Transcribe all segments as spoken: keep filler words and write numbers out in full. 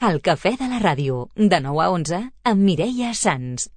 El cafè de la ràdio, de nou a onze, amb Mireia Sans.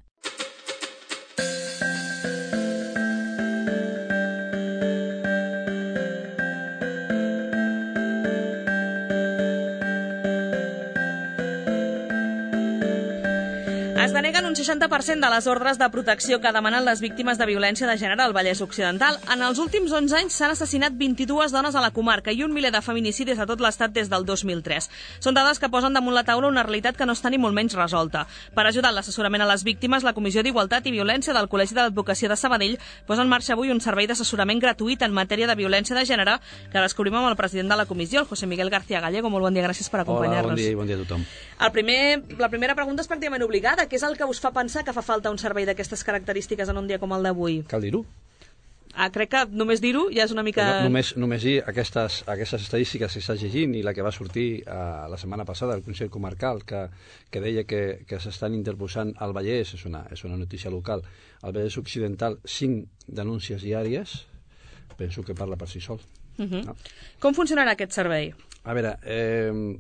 Es deneguen un seixanta per cent de les ordres de protecció que demanen les víctimes de violència de gènere al Vallès Occidental. En els últims onze anys s'han assassinat vint-i-dues dones a la comarca i un miler de feminicidis a tot l'estat des del dos mil tres. Són dades que posen damunt la taula una realitat que no està ni molt menys resolta. Per ajudar en l'assessorament a les víctimes, la Comissió d'Igualtat i Violència del Col·legi de l'Advocacia de Sabadell posa en marxa avui un servei d'assessorament gratuït en matèria de violència de gènere que descobrim amb el president de la comissió, el José Miguel García Gallego. Molt bon dia, gràcies per acompanyar-nos. Hola, bon dia i bon dia a tothom. El primer, la primera pregunta és pràcticament obligada. Què és el que us fa pensar que fa falta un servei d'aquestes característiques en un dia com el d'avui? Cal dir-ho? Ah, crec que només dir-ho ja és una mica... No, només, només dir aquestes, aquestes estadístiques que estàs llegint i la que va sortir uh, la setmana passada del Consell Comarcal que, que deia que, que s'estan interposant al Vallès, és una, és una notícia local, al Vallès Occidental, cinc denúncies diàries, penso que parla per si sol. Uh -huh. No? Com funcionarà aquest servei? A veure, eh,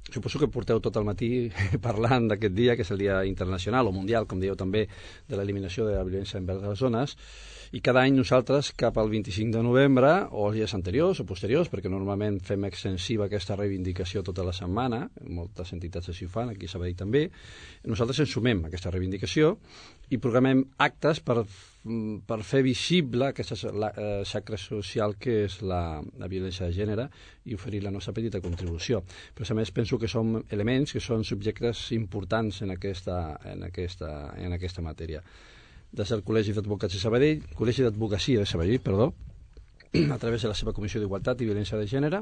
suposo que porteu tot el matí parlant d'aquest dia, que és el Dia Internacional o Mundial, com dieu també, de l'eliminació de la violència envers les dones, i cada any nosaltres, cap al vint-i-cinc de novembre, o els dies anteriors o posteriors, perquè normalment fem extensiva aquesta reivindicació tota la setmana, moltes entitats així ho fan, aquí a Sabadell també, nosaltres ens sumem a aquesta reivindicació i programem actes per, per fer visible aquesta xacra social que és la, la violència de gènere i oferir la nostra petita contribució. Però a més penso que són elements, que són subjectes importants en aquesta, en aquesta, en aquesta matèria. Des del Col·legi d'Advocats de Sabadell, Col·legi d'Advocacia de Sabadell, perdó, a través de la seva Comissió d'Igualtat i Violència de Gènere,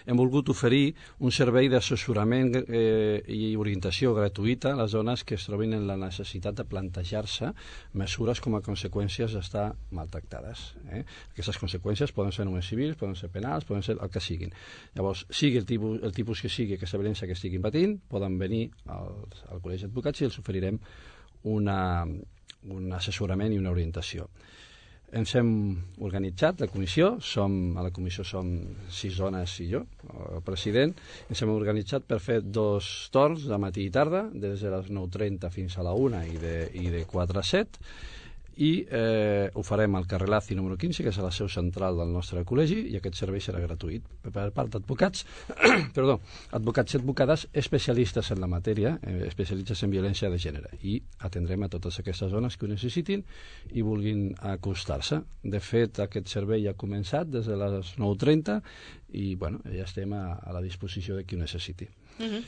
hem volgut oferir un servei d'assessorament eh, i orientació gratuïta a les dones que es trobin en la necessitat de plantejar-se mesures com a conseqüències d'estar maltractades. Eh? Aquestes conseqüències poden ser només civils, poden ser penals, poden ser el que siguin. Llavors, sigui el tipus, el tipus que sigui aquesta violència que estiguin patint, poden venir al, al Col·legi d'Advocats i els oferirem una, un assessorament i una orientació. Ens hem organitzat, la comissió, som, a la comissió som sis dones i jo, el president, ens hem organitzat per fer dos torns de matí i tarda, des de les nou trenta fins a la una i de, i de quatre a set, i eh, ho farem al carrer Laci número quinze, que és a la seu central del nostre col·legi, i aquest servei serà gratuït per part d'advocats, perdó, advocats i advocades especialistes en la matèria, eh, especialistes en violència de gènere, i atendrem a totes aquestes dones que ho necessitin i vulguin acostar-se. De fet, aquest servei ja ha començat des de les nou trenta i bueno, ja estem a, a la disposició de qui ho necessiti. Uh -huh.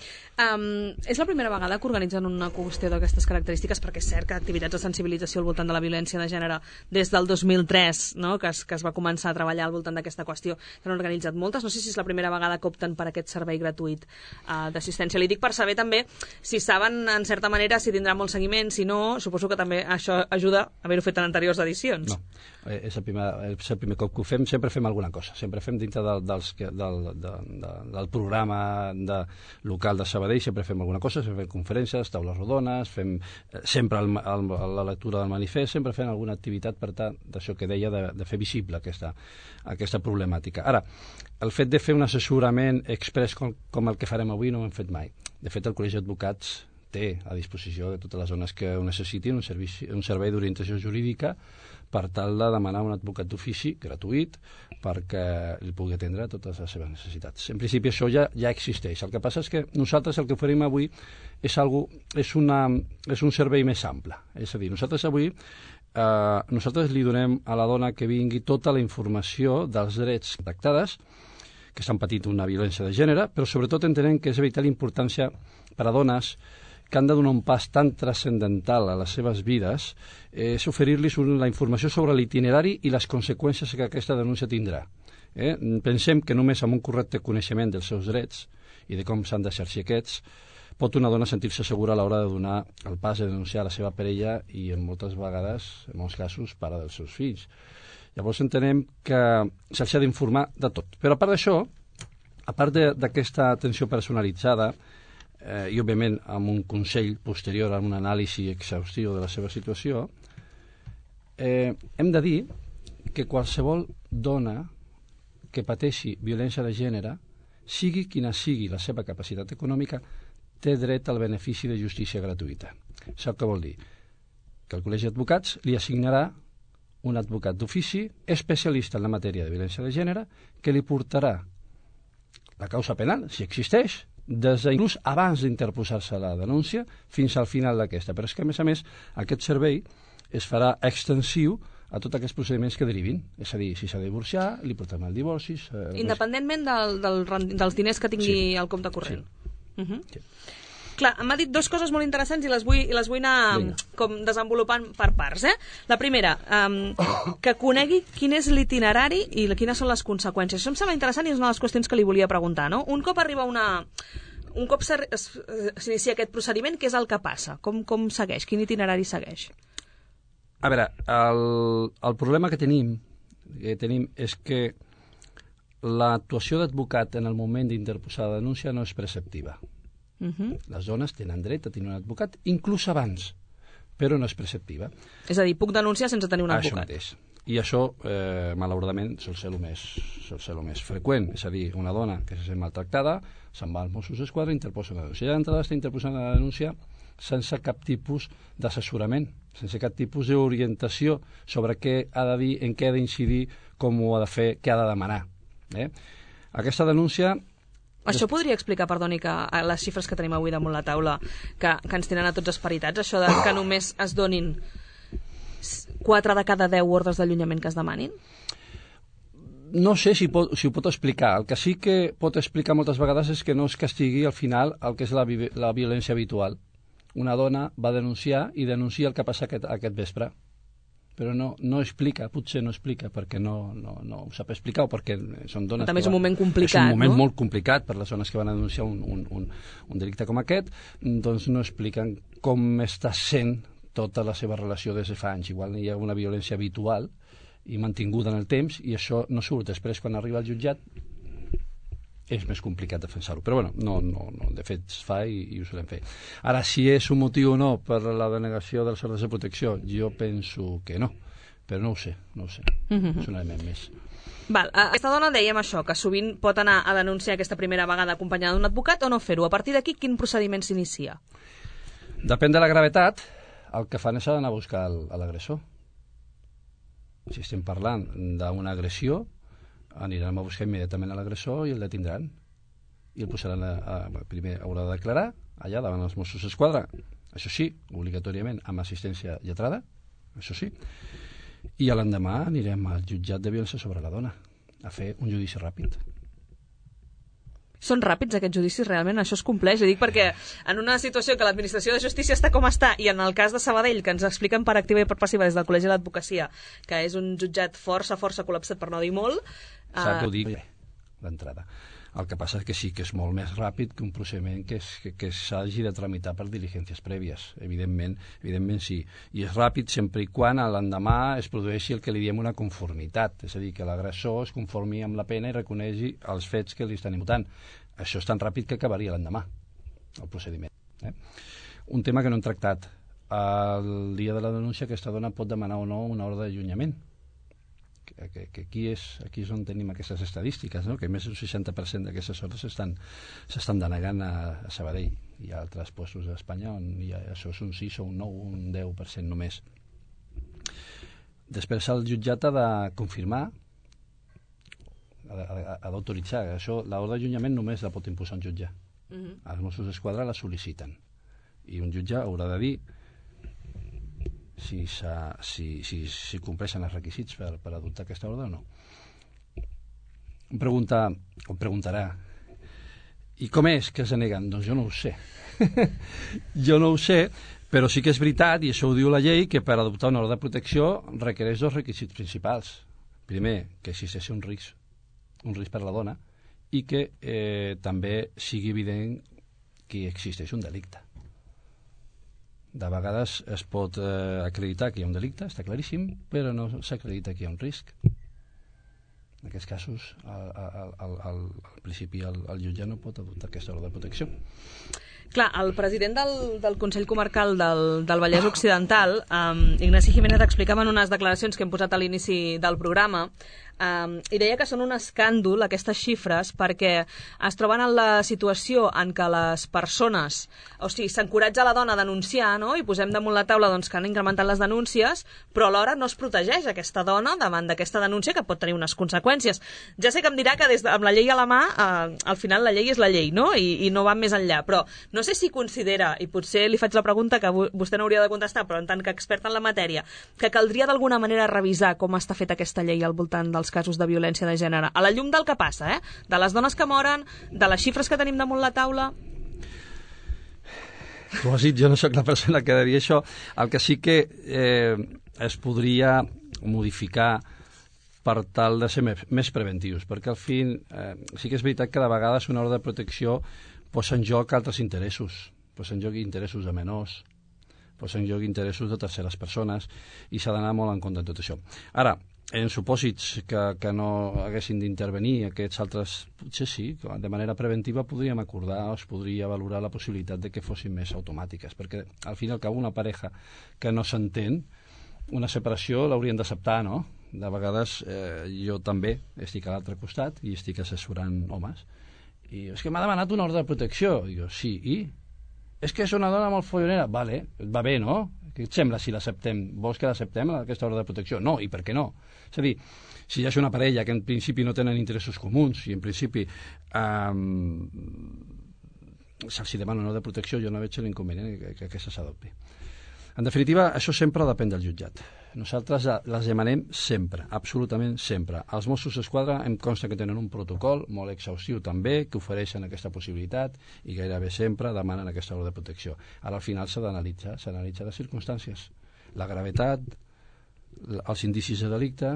um, és la primera vegada que organitzen una qüestió d'aquestes característiques, perquè és cert que activitats de sensibilització al voltant de la violència de gènere des del dos mil tres, no? que, es, que es va començar a treballar al voltant d'aquesta qüestió, s'han organitzat moltes. No sé si és la primera vegada que opten per aquest servei gratuït uh, d'assistència. Li dic per saber també si saben en certa manera si tindrà molt seguiment, si no, suposo que també això ajuda a haver-ho fet en anteriors edicions. No, eh, és, el primer, és el primer cop que ho fem, sempre fem alguna cosa, sempre fem dintre del, dels, del, del, del, del programa de local de Sabadell, sempre fem alguna cosa, sempre fem conferències, taules rodones, fem eh, sempre el, el, la lectura del manifest, sempre fem alguna activitat per tant d'això que deia de, de fer visible aquesta, aquesta problemàtica. Ara, el fet de fer un assessorament express com, com el que farem avui no ho hem fet mai. De fet, el Col·legi d'Advocats té a disposició de totes les zones que ho necessitin un, servici, un servei d'orientació jurídica per tal de demanar un advocat d'ofici gratuït perquè li pugui atendre totes les seves necessitats. En principi això ja, ja existeix. El que passa és que nosaltres el que oferim avui és, algo, és, una, és un servei més ample. És a dir, nosaltres avui eh, nosaltres li donem a la dona que vingui tota la informació dels drets tractades que estan patint una violència de gènere, però sobretot entenem que és de vital importància per a dones que han de donar un pas tan transcendental a les seves vides, eh, és oferir-los la informació sobre l'itinerari i les conseqüències que aquesta denúncia tindrà. Eh? Pensem que només amb un correcte coneixement dels seus drets i de com s'han d'exercir aquests, pot una dona sentir-se segura a l'hora de donar el pas de denunciar la seva parella i en moltes vegades, en molts casos, pare dels seus fills. Llavors entenem que s'ha d'informar de tot. Però a part d'això, a part d'aquesta atenció personalitzada, eh, i òbviament amb un consell posterior a un anàlisi exhaustiu de la seva situació, eh, hem de dir que qualsevol dona que pateixi violència de gènere sigui quina sigui la seva capacitat econòmica, té dret al benefici de justícia gratuïta. Sap què vol dir? Que el Col·legi d'Advocats li assignarà un advocat d'ofici especialista en la matèria de violència de gènere que li portarà la causa penal, si existeix, des inclús abans d'interposar-se la denúncia fins al final d'aquesta. Però és que, a més a més, aquest servei es farà extensiu a tots aquests procediments que derivin. És a dir, si s'ha de divorciar, li portem el divorci... Eh, Independentment del, del, dels diners que tingui sí. al compte corrent. Sí. Uh -huh. sí. Clar, m'ha dit dues coses molt interessants i les vull, i les vull anar Vinga. com desenvolupant per parts. Eh? La primera, um, que conegui quin és l'itinerari i quines són les conseqüències. Això em sembla interessant i és una de les qüestions que li volia preguntar. No? Un cop arriba una... Un cop s'inicia aquest procediment, què és el que passa? Com, com segueix? Quin itinerari segueix? A veure, el, el problema que tenim, que tenim és que l'actuació d'advocat en el moment d'interposar la denúncia no és preceptiva. Uh -huh. Les dones tenen dret a tenir un advocat, inclús abans, però no és preceptiva. És a dir, puc denunciar sense tenir un advocat. Això mateix. I això, eh, malauradament, sol ser el més, sol ser el més freqüent. És a dir, una dona que se sent maltractada se'n va als Mossos d'Esquadra i interposa una denúncia. Ja d'entrada està interposant la denúncia sense cap tipus d'assessorament, sense cap tipus d'orientació sobre què ha de dir, en què ha d'incidir, com ho ha de fer, què ha de demanar. Eh? Aquesta denúncia... Això podria explicar, perdoni, que les xifres que tenim avui damunt la taula, que, que ens tenen a tots esperitats, això de que només es donin quatre de cada deu ordres d'allunyament que es demanin? No sé si, pot, si ho pot explicar. El que sí que pot explicar moltes vegades és que no es castigui al final el que és la, la violència habitual. Una dona va denunciar i denuncia el que passa aquest, aquest vespre. Però no, no explica, potser no explica perquè no, no, no ho sap explicar o perquè són dones... També és un van, moment complicat, no? És un moment no? molt complicat per les dones que van a denunciar un, un, un, un delicte com aquest, doncs no expliquen com està sent tota la seva relació des de fa anys. Igual hi ha una violència habitual i mantinguda en el temps i això no surt després quan arriba al jutjat. És més complicat defensar-ho, però bueno, no, no, no, de fet es fa i, i ho solem fer. Ara, si és un motiu o no per la denegació dels ordres de protecció, jo penso que no, però no ho sé, no ho sé, mm-hmm. és un element més. Val, aquesta dona dèiem això, que sovint pot anar a denunciar aquesta primera vegada acompanyada d'un advocat o no fer-ho. A partir d'aquí, quin procediment s'inicia? Depèn de la gravetat, el que fan és anar a buscar l'agressor. Si estem parlant d'una agressió, anirem a buscar immediatament a l'agressor i el detindran. I el posaran a, a, primer haurà de declarar allà davant els Mossos d'Esquadra, això sí, obligatòriament amb assistència lletrada, això sí, i a l'endemà anirem al jutjat de violència sobre la dona a fer un judici ràpid. Són ràpids aquests judicis, realment? Això es compleix? Ho dic perquè en una situació que l'administració de justícia està com està i en el cas de Sabadell, que ens expliquen per activa i per passiva des del Col·legi de l'Advocacia, que és un jutjat força, força col·lapsat per no dir molt... Sap que ho dic d'entrada. El que passa és que sí que és molt més ràpid que un procediment que, és, que, que s'hagi de tramitar per diligències prèvies. Evidentment, evidentment sí. I és ràpid sempre i quan a l'endemà es produeixi el que li diem una conformitat, és a dir, que l'agressor es conformi amb la pena i reconegui els fets que li estan imputant. Això és tan ràpid que acabaria l'endemà, el procediment. Eh? Un tema que no hem tractat. El dia de la denúncia aquesta dona pot demanar o no una ordre d'allunyament. Que, que, que aquí, és, aquí és on tenim aquestes estadístiques, no? Que més d'un seixanta per cent d'aquestes ordres s'estan denegant a, a Sabadell. Hi ha altres puestos d'Espanya on hi ha, això és un sis o un nou, un deu per cent només. Després el jutjat ha de confirmar, ha, ha d'autoritzar. L'ordre d'allunyament només la pot imposar un jutge. Uh-huh. Els Mossos d'Esquadra la sol·liciten. I un jutge haurà de dir si, si, si, si compleixen els requisits per, per adoptar aquesta ordre o no. Em pregunta, em preguntarà, i com és que es deneguen? Doncs jo no ho sé. Jo no ho sé, però sí que és veritat, i això ho diu la llei, que per adoptar una ordre de protecció requereix dos requisits principals. Primer, que existeixi un risc, un risc per a la dona, i que eh, també sigui evident que existeix un delicte. De vegades es pot eh, acreditar que hi ha un delicte, està claríssim, però no s'acredita que hi ha un risc. En aquests casos, al, al, al, al, al principi el, el jutge no pot adoptar aquesta ordre de protecció. Clar, el president del, del Consell Comarcal del, del Vallès Occidental, um, Ignasi Jiménez, explicava en unes declaracions que hem posat a l'inici del programa Um, I deia que són un escàndol, aquestes xifres, perquè es troben en la situació en què les persones, o sigui, s'encoratja la dona a denunciar, no? I posem damunt la taula doncs, que han incrementat les denúncies, però alhora no es protegeix aquesta dona davant d'aquesta denúncia que pot tenir unes conseqüències. Ja sé que em dirà que des de, amb la llei a la mà, eh, al final la llei és la llei, no? I, i no va més enllà, però no sé si considera, i potser li faig la pregunta que vostè no hauria de contestar, però en tant que expert en la matèria, que caldria d'alguna manera revisar com està feta aquesta llei al voltant dels casos de violència de gènere, a la llum del que passa, eh? De les dones que moren, de les xifres que tenim damunt la taula. Tu has dit, jo no sóc la persona que ha de dir això. El que sí que eh, es podria modificar per tal de ser més, més preventius, perquè al fin eh, sí que és veritat que de vegades una ordre de protecció posa en joc altres interessos, posa en joc interessos de menors, posa en joc interessos de terceres persones, i s'ha d'anar molt en compte de tot això. Ara, en supòsits que, que no haguessin d'intervenir aquests altres, potser sí, de manera preventiva podríem acordar o es podria valorar la possibilitat de que fossin més automàtiques, perquè al fin i al cap una pareja que no s'entén, una separació l'haurien d'acceptar, no? De vegades eh, jo també estic a l'altre costat i estic assessorant homes, i és que m'ha demanat una ordre de protecció. I jo, sí, i? És que és una dona molt follonera. Vale, va bé, no? Què et sembla si l'acceptem? Vols que l'acceptem, aquesta ordre de protecció? No, i per què no? És a dir, si hi ha una parella que en principi no tenen interessos comuns i en principi eh, se'ls demana una ordre de protecció, jo no veig l'inconvenient que, que aquesta s'adopti. En definitiva, això sempre depèn del jutjat. Nosaltres les demanem sempre, absolutament sempre. Els Mossos d'Esquadra em consta que tenen un protocol molt exhaustiu també, que ofereixen aquesta possibilitat i gairebé sempre demanen aquesta ordre de protecció. Ara al final s'ha d'analitzar, s'analitza les circumstàncies, la gravetat, els indicis de delicte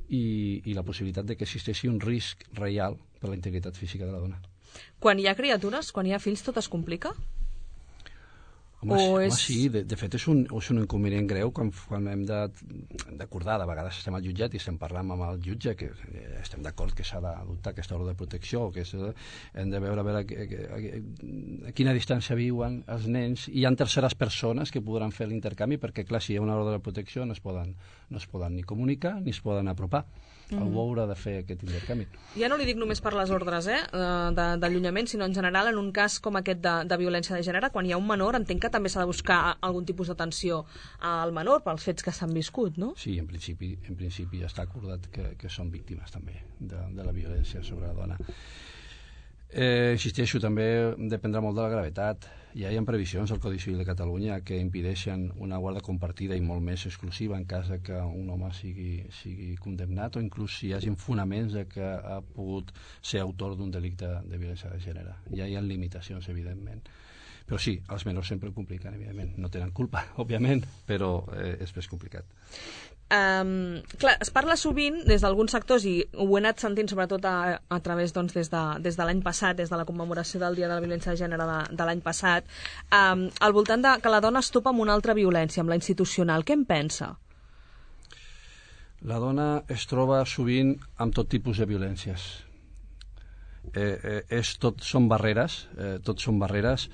i, i la possibilitat de que existeixi un risc real per a la integritat física de la dona. Quan hi ha criatures, quan hi ha fills, tot es complica? Home, home és... sí, de, de fet és un, és un inconvenient greu quan, quan hem d'acordar, de, de vegades estem al jutjat i estem parlant amb el jutge que estem d'acord que s'ha d'adoptar aquesta ordre de protecció, que és, hem de veure a, veure a, a, a, a quina distància viuen els nens, i hi ha terceres persones que podran fer l'intercanvi, perquè clar, si hi ha una ordre de protecció no es poden, no es poden ni comunicar ni es poden apropar. Mm. Algú haurà de fer aquest intercanvi. Ja no li dic només per les ordres eh, d'allunyament, sinó en general en un cas com aquest de, de violència de gènere, quan hi ha un menor, entenc que també s'ha de buscar algun tipus d'atenció al menor pels fets que s'han viscut, no? Sí, en principi, en principi ja està acordat que, que són víctimes també de, de la violència sobre la dona. Eh, insisteixo, també dependrà molt de la gravetat. Ja hi ha previsions al Codi Civil de Catalunya que impedeixen una guarda compartida i molt més exclusiva en cas que un home sigui, sigui condemnat, o inclús si hi hagi fonaments de que ha pogut ser autor d'un delicte de violència de gènere. Ja hi ha limitacions, evidentment. Però sí, els menors sempre ho compliquen, evidentment. No tenen culpa, òbviament, però eh, és més complicat. Um, clar, es parla sovint des d'alguns sectors, i ho he anat sentint sobretot a, a través doncs, des de, des de l'any passat, des de la commemoració del Dia de la Violència de Gènere de, de l'any passat, um, al voltant de que la dona es topa amb una altra violència, amb la institucional. Què en pensa? La dona es troba sovint amb tot tipus de violències. Eh, eh, és tot, són barreres, eh, tot són barreres.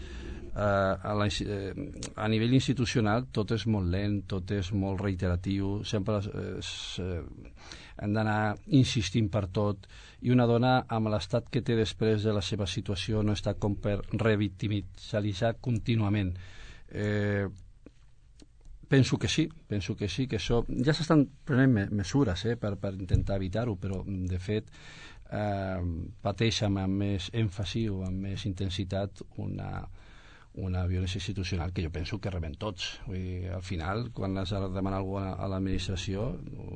Uh, a, la, uh, a nivell institucional tot és molt lent, tot és molt reiteratiu, sempre es, uh, hem d'anar insistint per tot, i una dona amb l'estat que té després de la seva situació no està com per revictimitzar contínuament. Eh, penso que sí, penso que sí, que això ja s'estan prenent me mesures eh, per, per intentar evitar-ho, però de fet eh, pateix amb més èmfasi o amb més intensitat una una violència institucional que jo penso que rebem tots. Vull dir, al final, quan has de demanar alguna a l'administració,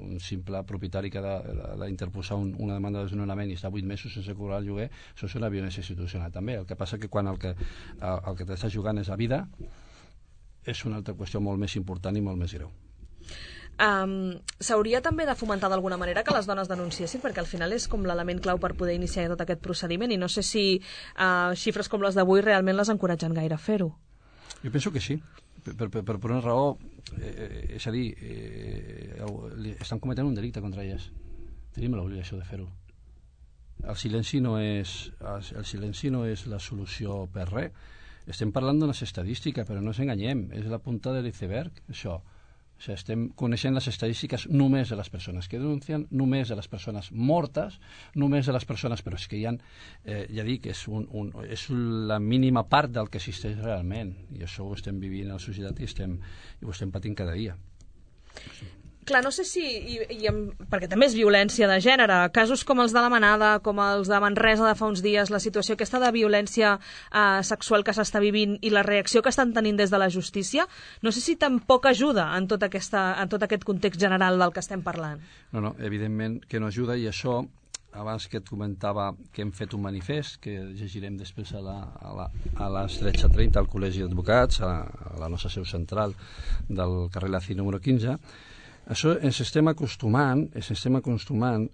un simple propietari que ha d'interposar un, una demanda de desnonament i està vuit mesos sense cobrar el lloguer, això és una violència institucional també. El que passa que quan el que, el, el que t'està jugant és la vida, és una altra qüestió molt més important i molt més greu. Um, S'hauria també de fomentar d'alguna manera que les dones denunciessin, perquè al final és com l'element clau per poder iniciar tot aquest procediment, i no sé si uh, xifres com les d'avui realment les encoratgen gaire a fer-ho. Jo penso que sí, per, per, per una raó, eh, és a dir, eh, estan cometent un delicte contra elles. Tenim l'obligació de fer-ho. El silenci no és, el silenci no és la solució per res. Estem parlant d'unes estadístiques, però no ens enganyem, és la punta de l'iceberg, això. O sigui, estem coneixent les estadístiques només de les persones que denuncien, només de les persones mortes, només de les persones... Però és que hi ha, eh, ja dic, és, un, un, és la mínima part del que existeix realment. I això ho estem vivint a la societat i, estem, i ho estem patint cada dia. Clar, no sé si, i, i, perquè també és violència de gènere, casos com els de la Manada, com els de Manresa de fa uns dies, la situació aquesta de violència eh, sexual que s'està vivint i la reacció que estan tenint des de la justícia, no sé si tampoc ajuda en tot, aquesta, en tot aquest context general del que estem parlant. No, no, evidentment que no ajuda, i això, abans que et comentava que hem fet un manifest, que llegirem després a, la, a, la, a les tretze trenta al Col·legi d'Advocats, a, a la nostra seu central del carrer Laci número quinze, això ens estem acostumant, ens estem acostumant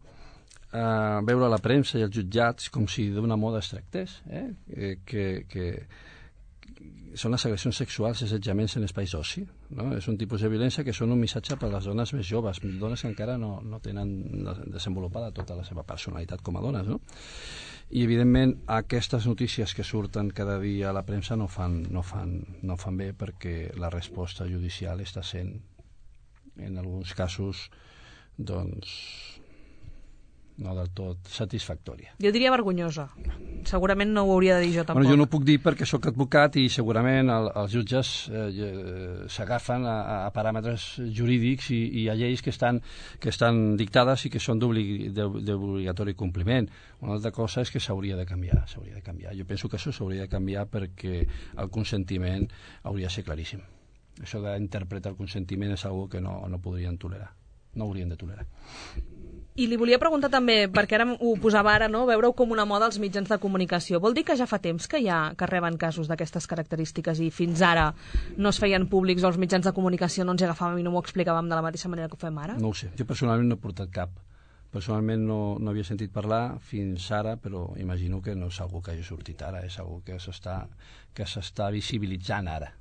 a veure la premsa i els jutjats com si d'una moda es tractés, eh? que, que són les agressions sexuals i assetjaments en espais d'oci. No? És un tipus de violència que són un missatge per a les dones més joves, dones que encara no, no tenen desenvolupada tota la seva personalitat com a dones. No? I, evidentment, aquestes notícies que surten cada dia a la premsa no fan, no fan, no fan bé, perquè la resposta judicial està sent, en alguns casos, doncs, no del tot satisfactòria. Jo diria vergonyosa. Segurament no ho hauria de dir jo tampoc. Bueno, jo no ho puc dir perquè sóc advocat i segurament el, els jutges eh, s'agafen a, a paràmetres jurídics i, i a lleis que estan, que estan dictades i que són d'obligatori compliment. Una altra cosa és que s'hauria de canviar, s'hauria de canviar. Jo penso que això s'hauria de canviar perquè el consentiment hauria de ser claríssim. Això d'interpretar el consentiment és una que no, no podrien tolerar, no haurien de tolerar. I li volia preguntar també, perquè ara ho posava ara, no? Veure-ho com una moda als mitjans de comunicació. Vol dir que ja fa temps que hi ha, que reben casos d'aquestes característiques i fins ara no es feien públics o els mitjans de comunicació no ens hi agafàvem i no m'ho explicàvem de la mateixa manera que ho fem ara? No ho sé, jo personalment no he portat cap. Personalment no, no havia sentit parlar fins ara, però imagino que no és algo que hagi sortit ara, és algo que s'està que s'està visibilitzant ara.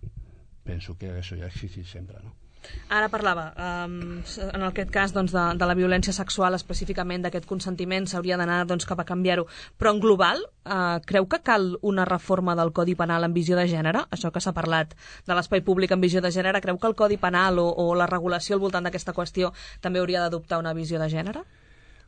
Penso que això ja ha existit sempre, no? Ara parlava, um, en aquest cas doncs, de, de la violència sexual, específicament d'aquest consentiment, s'hauria d'anar doncs, cap a canviar-ho. Però en global, uh, creu que cal una reforma del Codi Penal en visió de gènere? Això que s'ha parlat de l'espai públic en visió de gènere, creu que el Codi Penal o, o la regulació al voltant d'aquesta qüestió també hauria d'adoptar una visió de gènere?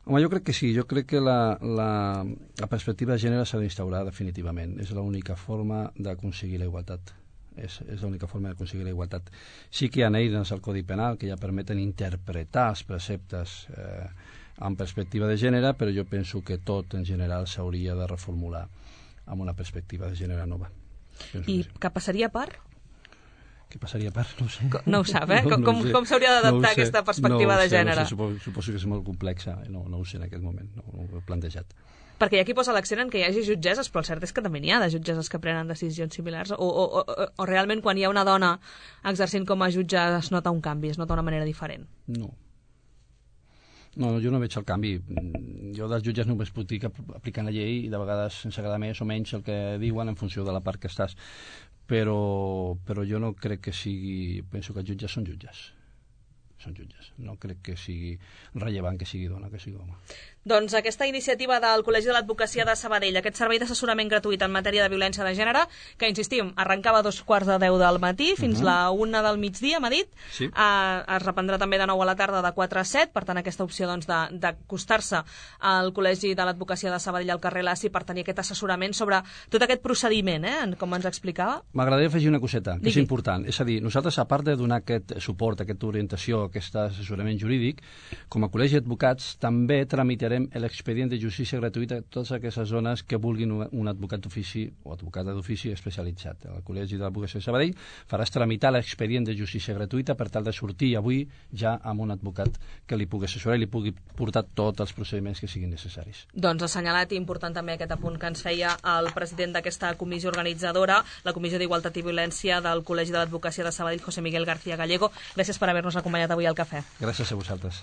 Home, jo crec que sí. Jo crec que la, la, la perspectiva de gènere s'ha d'instaurar definitivament. És l'única forma d'aconseguir la igualtat. És, és l'única forma d'aconseguir la igualtat. Sí que hi ha eines al Codi Penal que ja permeten interpretar els preceptes eh, en perspectiva de gènere, però jo penso que tot en general s'hauria de reformular amb una perspectiva de gènere nova. Penso I que, sí. que passaria per? Què passaria per? No ho sé. No ho sap, eh? No, com no com, sé. com s'hauria d'adaptar no aquesta perspectiva no de sé, gènere? No sé, suposo, suposo que és molt complexa, no, no ho sé en aquest moment, no, no ho he plantejat. Perquè hi ha qui posa l'accent en que hi hagi jutgesses, però el cert és que també n'hi ha de jutgesses que prenen decisions similars, o, o, o, o realment quan hi ha una dona exercint com a jutge es nota un canvi, es nota una manera diferent? No. No, jo no veig el canvi. Jo dels jutges només puc dir que apliquen la llei i de vegades sense agradar més o menys el que diuen en funció de la part que estàs. Però, però jo no crec que sigui... Penso que els jutges són jutges. Són jutges. No crec que sigui rellevant que sigui dona, que sigui home. Doncs aquesta iniciativa del Col·legi de l'Advocacia de Sabadell, aquest servei d'assessorament gratuït en matèria de violència de gènere, que, insistim, arrencava a dos quarts de deu del matí fins uh -huh. la una del migdia, m'ha dit, sí. eh, es reprendrà també de nou a la tarda de quatre a set, per tant aquesta opció doncs, d'acostar-se al Col·legi de l'Advocacia de Sabadell al carrer Laci per tenir aquest assessorament sobre tot aquest procediment, eh, com ens explicava. M'agradaria afegir una coseta, que Digui. és important. És a dir, nosaltres, a part de donar aquest suport, aquesta orientació, aquest assessorament jurídic, com a Col·legi d'Advocats també tramitarem l'expedient de justícia gratuïta a totes aquestes zones que vulguin un advocat d'ofici o advocada d'ofici especialitzat. El Col·legi de l'Advocacia de Sabadell faràs tramitar l'expedient de justícia gratuïta per tal de sortir avui ja amb un advocat que li pugui assessorar i li pugui portar tots els procediments que siguin necessaris. Doncs assenyalat i important també aquest apunt que ens feia el president d'aquesta comissió organitzadora, la Comissió d'Igualtat i Violència del Col·legi de l'Advocacia de Sabadell, José Miguel García Gallego. Gràcies per haver-nos acompanyat avui al cafè. Gràcies a vosaltres.